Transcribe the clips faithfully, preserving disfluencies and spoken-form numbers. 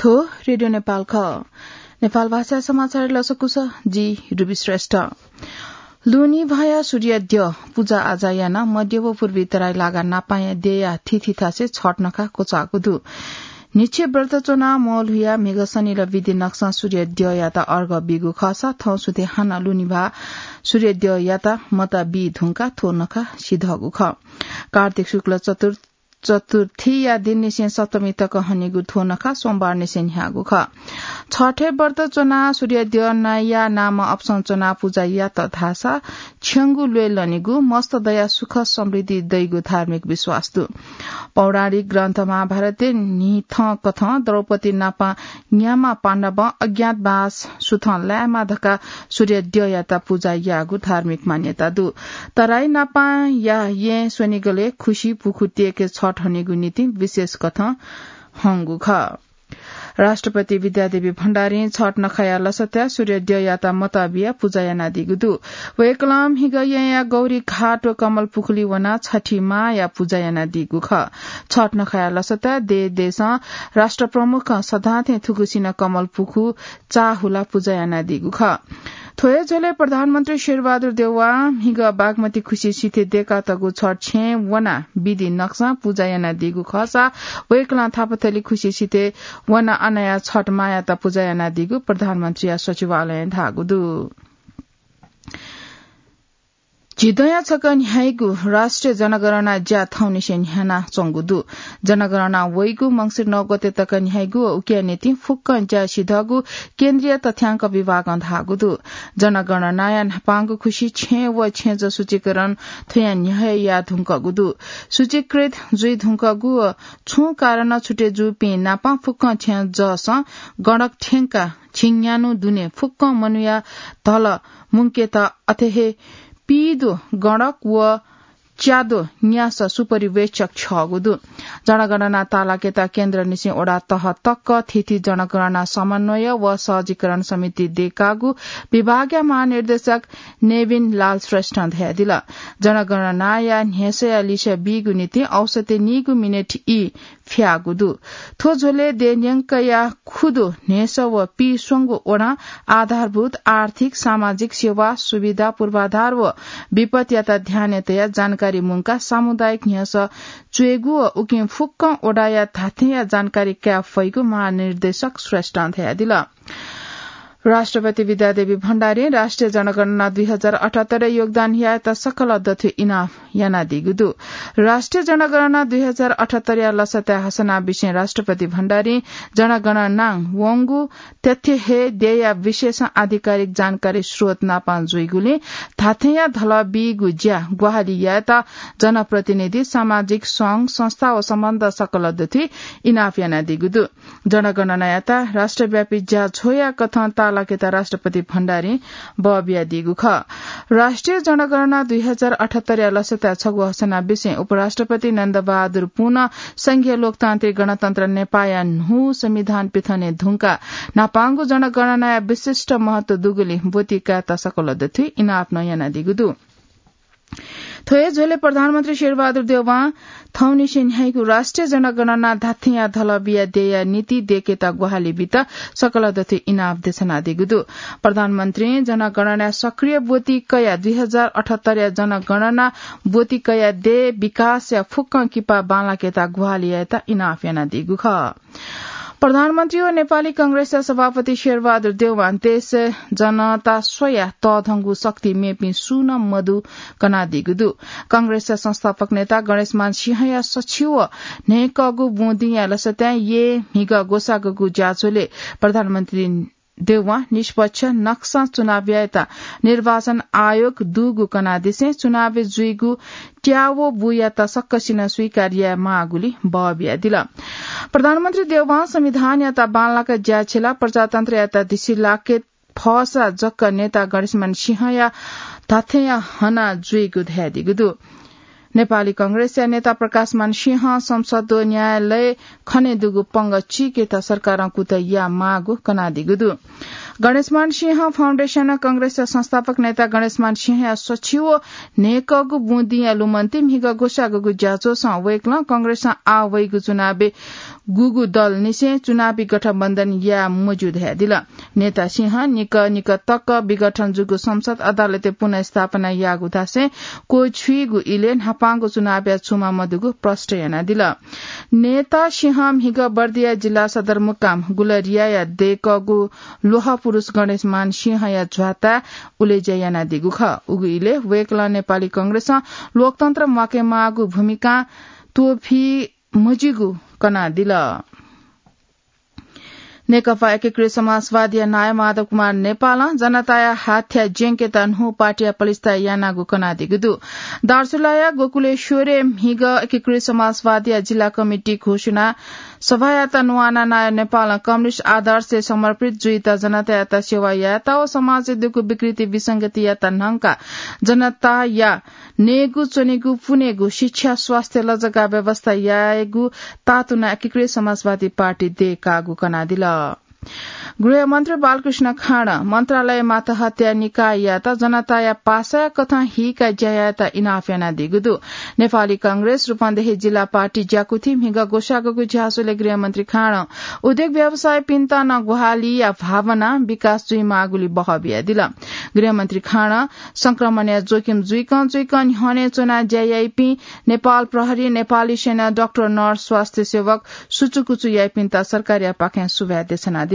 थ्व रेडियो नेपाल खः। नेपाल भाषा समाचार लसकुस, जि रुबी श्रेष्ठ। लुनी भाया सूर्य द्यः पूजा आजा याना मध्य व पूर्वी तराई लागा नापाया देया थिथि थासे छठ नखा कोचागु दु। निच्छे व्रत च्वना मोल हुया म्हिगः सनिल विधि नक्सं सूर्य द्यःयात अर्घ बीगु खःसा थौं सुथे हानं लुनी भा सूर्य द्यःयात मता बी धुंका थ्व नखा सिधःगु खः। कार्तिक शुक्ल चतुर्थ चतुर्थीया दिननिसें सप्तमी तक हनीगु थ्व नखा सोमबारनिसें न्ह्याःगु खः। छठे व्रत च्वनाः सूर्य द्यः नाइया नाम अपसं च्वनाः पुजा यात धाःसा छ्यंगु ल्वय् लनीगु, मस्त दया सुख समृद्धि दइगु धार्मिक विश्वास दु। पौराणिक ग्रन्थ महाभारतय् न्हिथं कथं द्रौपदी नापं न्याम्ह पाण्डवं अज्ञातवास सुथं लायेमा धकाः सूर्य द्यःयात पुजा याःगु धार्मिक मान्यता दु। तराई नापं या यें स्वनिगलय् खुसी पुखु तेके छठ हनीगु नीति विशेष कथं हंगु खः। राष्ट्रपति विद्यादेवी भण्डारीं छठ नखाया लसताय् सूर्य द्यःयात मता बिया पुजा यानादीगु दु। वय्कलं म्हिगः येँया गौरी घाट व कमल पुखुली वनाः छठी मांया पुजा यानादीगु खः। छठ नखाया लसताय् देश देशं राष्ट्र प्रमुखं सदांथें थुगुसिनं कमल पुखु चाःहुला पुजा यानादीगु खः। थ्व हे झ्वलय् प्रधानमन्त्री शेरबहादुर देउवां म्हिगः बागमती खुसिसिथय् देकातःगु छठ छेँय् वनाः विधि नक्सं पुजा यानादीगु खःसा वय्कलं थापाथली खुसिसिथय् वनाः अनया छठ मांयात पुजा यानादीगु प्रधानमन्त्रीया सचिवालयं धाःगु दु। झिदँया छकः न्ह्याइगु राष्ट्रिय जनगणना ज्या थौंनिसें न्ह्यानाच्वंगु दु। जनगणना वइगु मंसिर नौ गते तक न्ह्याइगु व उकिया निंतिं फुक्कं ज्या सिधःगु केन्द्रीय तथ्याङ्क विभागं धाःगु दु। जनगणनाया न्हापांगु खुसि छेँ व छेँजः सूचीकरण थ्वयां न्ह्यः हे याये धुंकूगु दु। सूचीकृत जुइ धुंकूगु व छुं कारणं छुटे जूपिं नापं फुक्कं छेँजःसं गणक थ्यंकाः झिंन्यान्हु दुने फुक्कं मनूया धल मुंकेत अथे हे पीदु गणक व च्यादु न्यासः सुपरिवेक्षक छ्यःगु दु। जनगणना ताःलाकेत केन्द्रनिसें वडा तह तक थीथी जनगणना समन्वय व सहजीकरण समिति देकागु विभागया महानिर्देशक नेविन लाल श्रेष्ठं धयादिल। जनगणनाया न्ह्यसःया लिसः बीगु निंतिं औसतय् नीगु मिनेट ई फ्याःगु दु। थ्व झ्वलय् देय्‌न्यंकया खुदु न्ह्यसः व पीस्वंगू वडां आधारभूत आर्थिक, सामाजिक सेवा, सुविधा, पूर्वाधार व विपत्तियात ध्यानय् तयाः जानकारी मुंकाः सामुदायिक न्ह्यसः च्वयेगु व उकिं फुक्कं वडाया धात्थेंया जानकारी काये फइगु महानिर्देशक श्रेष्ठं धयादिल। राष्ट्रपति विद्यादेवी भण्डारीं राष्ट्रिय जनगणना दुई हजार अठहत्तर योगदान यायेत सकल दथुइ इनाप यानादीगु दु। राष्ट्रिय जनगणना दुई हजार अठहत्तरया लसताय् हसना विषयं राष्ट्रपति भण्डारीं जनगणनां वंगु तथ्य हे देय्‌या विषयसं आधिकारिक जानकारी स्रोत नापं जुइगुलिं धात्थेंया धलः बीगु ज्या ग्वाहालि यायेत जनप्रतिनिधि, सामाजिक संघ, संस्था व सम्बन्ध सकल दथुइ इनाप यानादीगु दु। जनगणनायात राष्ट्रव्यापी ज्या झ्वःया कथं ताःलाकेत राष्ट्रपति भण्डारीं बः बियादीगु खः। राष्ट्रिय जनगणना दुई हजार अठहत्तरया लसताय् छगू हसना विषयं उपराष्ट्रपति नन्दबहादुर पुनं संघीय लोकतान्त्रिक गणतन्त्र नेपाःया न्हू संविधान पिथने धुंकाः न्हापांगु जनगणनाया विशिष्ट महत्व दुगुलिं ब्वति कायेत सकल दथुइ इनाप नं यानादीगु दु। थ्व हे झ्वलय् प्रधानमन्त्री शेरबहादुर देउवां थौंनिसें न्ह्याइगु राष्ट्रिय जनगणना धात्थेंया धलः बिया देय्‌या नीति देकेत ग्वाहालि बीत सकल दथुइ इनाप देछानादीगु दु। प्रधानमन्त्रीं जनगणनाया सक्रिय ब्वति कयाः दुई हजार अठहत्तरया जनगणना ब्वति कयाः देय् विकासया फुक्कं किपा बांलाकेत ग्वाहालि यायेत इनाप यानादीगु खः। प्रधानमन्त्री व नेपाली कांग्रेसया सभापति शेरबहादुर देउवां देशय् जनता स्वयाः तःधंगु शक्ति मेपिं सुं नं मदु कनादीगु दु। कांग्रेसया संस्थापक नेता गणेशमान सिंहया सछि व न्हय्‌कःगु बुँदिंया लसताय् येँ म्हिगः ग्वसाःगु ज्याझ्वलय् प्रधानमन्त्री देउवां निष्पक्ष नक्सं चुनाव यायेत निर्वाचन आयोग दुगु कनादिसें चुनावय् जुइगु त्याः व बुयात सकसिनं स्वीकार याये माःगुलिं बः बियादिल। प्रधानमन्त्री देउवां संविधानयात बांलाक ज्या छिलाः प्रजातन्त्रयात धिसिलाके फःसा जक नेता गणेशमान सिंहया धात्थेंया हना जुइगु धयादीगु दु। नेपाली कांग्रेसया नेता प्रकाशमान सिंहं संसद व न्यायालय खनेदुगु पंगः चीकेत सरकारं कुतः याये माःगु कनादीगु दु। गणेशमान सिंह फाउन्डेसन कांग्रेसया संस्थापक नेता गणेशमान सिंहया सछिव न्हय्‌कःगु बुँदिंया लुमन्ति म्हिगः ग्वसाःगु ज्याझ्वलय् वय्‌कलं कांग्रेसं आः वइगु चुनावय् गुगु दलनिसें चुनावी गठबन्धन याये मज्यू धयादिल। नेता सिंहं निकः निकः तक विघटन जूगु संसद अदालतय् पुनर्स्थापना याःगु धासें क्वछुइगु इलय् न्हापांगु चुनावय् छुमा मदुगु प्रष्ट यानादिल। नेता सिंहं म्हिगः बर्दिया जिल्ला सदरमुकाम गुलरियाया दय्‌कःगु ल्वहः पुरुष गणेशमान सिंहया झ्वाताय् उलेज्या यानादीगु खः। उगु इलय् वय्‌कलं नेपाली कांग्रेसं लोकतन्त्र म्वाकेमाःगु भूमिकां त्वःफी मज्यूगु कनादिल। नेकपा एकीकृत समाजवादीया नायः माधव कुमार नेपालं जनताया हाथ्या ज्यंकेत न्हू पार्टीया पलिस्था यानागु कनादीगु दु। दार्चुलाया गोकुलेश्वरय् म्हिगः एकीकृत समाजवादीया जिल्ला कमिटी घोषणा सभायात न्वानाः नायः नेपालं कम्युनिस्ट आदर्शय् समर्पित जुइत जनतायात सेवा यायेत व समाजय् दुगु विकृति विसंगतियात न्हंकाः जनताया नयेगु, च्वनेगु, पुनेगु, शिक्षा, स्वास्थ्य, लजगाः व्यवस्था यायेगु तातुना एकीकृत समाजवादी पार्टी दय्‌कागु कनादिल। गृहमन्त्री बालकृष्ण खाँडं मन्त्रालय मातहतया निकाययात जनताया पासाया कथं हीका ज्या यायेत इनाप यानादीगु दु। नेपाली कांग्रेस रूपन्देही जिल्ला पार्टी ज्याकुथि म्हिगः ग्वसाःगु ज्याझ्वलय् गृहमन्त्री खाँडं उद्योग व्यवसायीपिन्त नं ग्वाहालिया भावना विकास जुइमाःगुली बहः बियादिल। गृहमन्त्री खाँडं संक्रमणया जोखिम जुइकं जुइकं न्ह्यःने च्वनाः ज्या याइपिं नेपाल प्रहरी, नेपाली सेना, डाक्टर, नर्स, स्वास्थ्य सेवक, सुचुकुचु याइपिन्त सरकारयापाखें सुभाय् देछानादिल।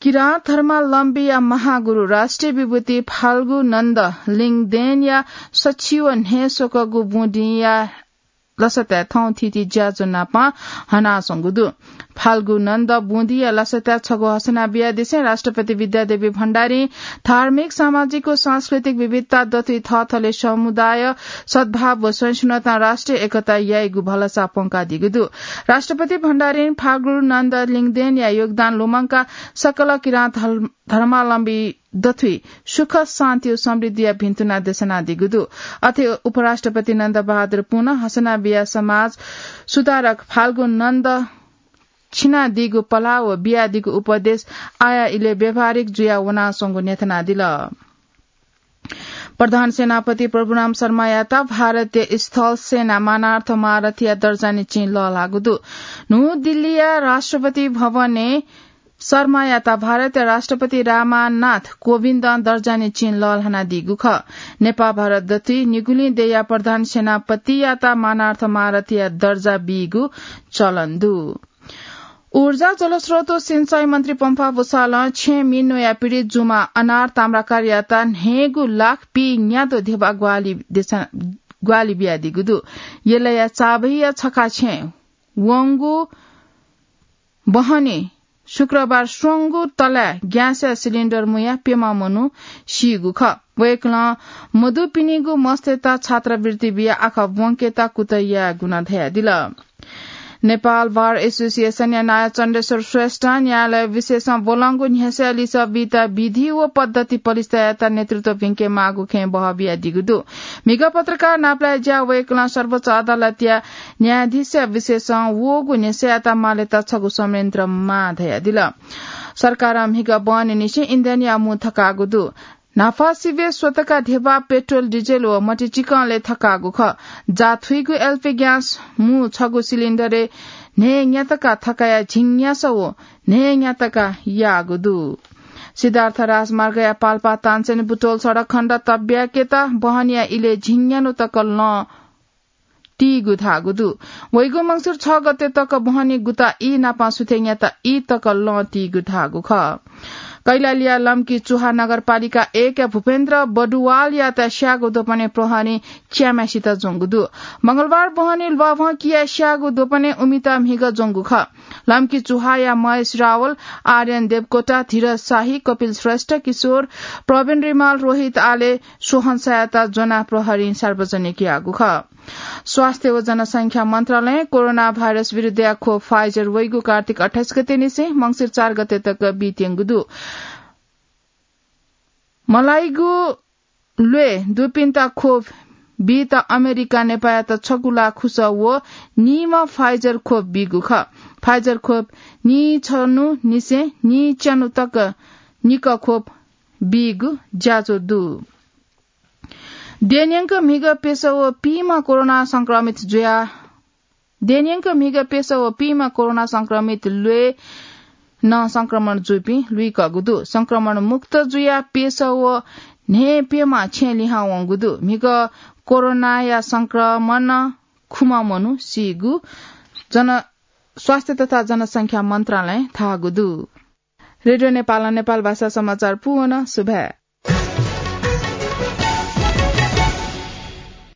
किराँत धर्मावलम्बीया महागुरु राष्ट्रिय विभूति फाल्गु नन्द लिङदेनया सछिव न्हय् स्वकःगु बुँदिंया लसताय् थौं थीथी ज्याझ्वः नाप हनाच्वंगु दु। फाल्गु नन्द बुँदिया लसताय् छगू हसना बियादिसें राष्ट्रपति विद्यादेवी भण्डारीं धार्मिक, सामाजिक व सांस्कृतिक विविधता दथुइ थःथले समुदाय, सद्भाव व सहिष्णुतां राष्ट्रिय एकता याइगु भलसा प्वंकादीगु दु। राष्ट्रपति भण्डारीं फाल्गु नन्द लिङदेनया योगदान लुमंकाः सकल किराँत धर्म-, धर्मावलम्बी दथुइ सुख, शान्ति व समृद्धिया भिन्तुना देछानादीगु दु। अथे उपराष्ट्रपति नन्द बहादुर पुनं हसना बियाः समाज सुधारक फाल्गु नन्द छिनादीगु पलाः व बियादीगु उपदेश आया इलय् व्यावहारिक जुया वनाच्वंगु न्ह्यथनादिल। प्रधान सेनापति प्रभुराम शर्मायात भारतीय स्थल सेना मानार्थ महारथीया दर्जा निंतिं लःल्हाःगु दु। न्हू दिल्लीया राष्ट्रपति भवनय् शर्मायात भारतया राष्ट्रपति रामनाथ कोविन्दं दर्जा निंतिं लःल्हानादीगु खः। नेपाः भारत दथुइ निगुलिं देय्‌या प्रधान सेनापतियात मानार्थ महारथीया दर्जा बीगु चलन दु। ऊर्जा, जलस्रोत व सिँचाइ मन्त्री पम्फा भूषालं छेँ मिनोया पीडित जुमा अनार ताम्राकारयात न्हय्‌गू लाख पीन्यादँ ध्यबा ग्वाहालि देछा-, ग्वाहालि बियादीगु दु। यलया चाबहिया छखा छेँ वंगु बहनी शुक्रबार स्वंगू तलाय् ग्यासया सिलिन्डर मुयाः प्यम्ह मनू सीगु खः। वय्‌कलं मदुपिनिगु मस्तय्‌त छात्रवृत्ति बियाः आखः ब्वंकेत कुतः यायेगु नं धयादिल। नेपाल बार एसोसिएसनया नायः चण्डेश्वर श्रेष्ठं न्यायालय विशेषं ब्वलंगु न्ह्यसःया लिसः बीत विधि व पद्धति पलिस्था यायेत नेतृत्व भिंकेमाःगु खँय् बहः बियादीगु दु। म्हिगः पत्रकार नापलाये ज्याः वय्‌कलं सर्वोच्च अदालतया न्यायाधीशया विशेषं वःगु न्ह्यसःयात मालेत छगू संयन्त्र माः धयादिल। सरकारं म्हिगः बहनीनिसें इन्धनया मू थकाःगु दु। न्हापा सिबें स्वतका ध्यबा पेट्रोल, डिजेल व मतिचिकंले थकाःगु खः। जाथुइगु एलपी ग्यास मू छगू सिलिन्डरय् न्हय्‌न्यातका थकाया झिंन्यासः व न्हय्‌न्यातका याःगु दु। सिद्धार्थ राजमार्गया पाल्पा तानसेन बुटोल सडक खण्ड तब्याकेत बहनीया इलय् झिंन्यान्हु तक लं तीगु धाःगु दु। वइगु मंसिर छ गते तक बहनी गुता ई नापं सुथय् न्याता ई तक लं तीगु धाःगु खः। कैलालीया लम्की चुहा नगरपालिका एकया भूपेन्द्र बडुवालयात स्याःगु द्वपनय् प्रहरीं च्याम्हेसित ज्वंगु दु। मंगलबार बहनी ल्वाभं किया स्याःगु द्वपनय् उमित म्हिगः ज्वंगु खः। लम्की चुहाया महेश रावल, आर्यन देवकोटा, धीरज शाही, कपिल श्रेष्ठ, किशोर, प्रवीण रिमाल, रोहित आले, सोहन सायात ज्वनाः प्रहरीं सार्वजनिक याःगु खः। स्वास्थ्य व जनसंख्या मन्त्रालयं कोरोना भाइरस विरुद्धया खोप Pfizer वइगु कार्तिक अट्ठाइस गते निसें मंसिर चार गते तक बीत्यंगु दु। मलाइगु ल्वय् दुपिन्त खोप बीत अमेरिकां नेपाःयात छगू लाख खुसः व नीम्ह Pfizer खोप बीगु खः। Pfizer खोप नीछन्हु निसें नीच्यान्हु तक निकः खोप बीगु ज्याझ्वः दु। देन्यंक म्हिगः प्यसः व पीम्ह कोरोना संक्रमित जुया देन्यंक म्हिगः प्यसः व पीम्ह कोरोना संक्रमित ल्वय् नं संक्रमण जूपिं लुइकःगु दु। संक्रमण मुक्त जुया प्यसः व न्हय्प्यम्ह छेँ लिहां वंगु दु। म्हिगः कोरोनाया संक्रमण खुम्ह मनू सीगु जन-, स्वास्थ्य तथा जनसंख्या मन्त्रालयं धाःगु दु। रेडियो नेपालं नेपाल भाषा समाचार पूवन सुभाय्।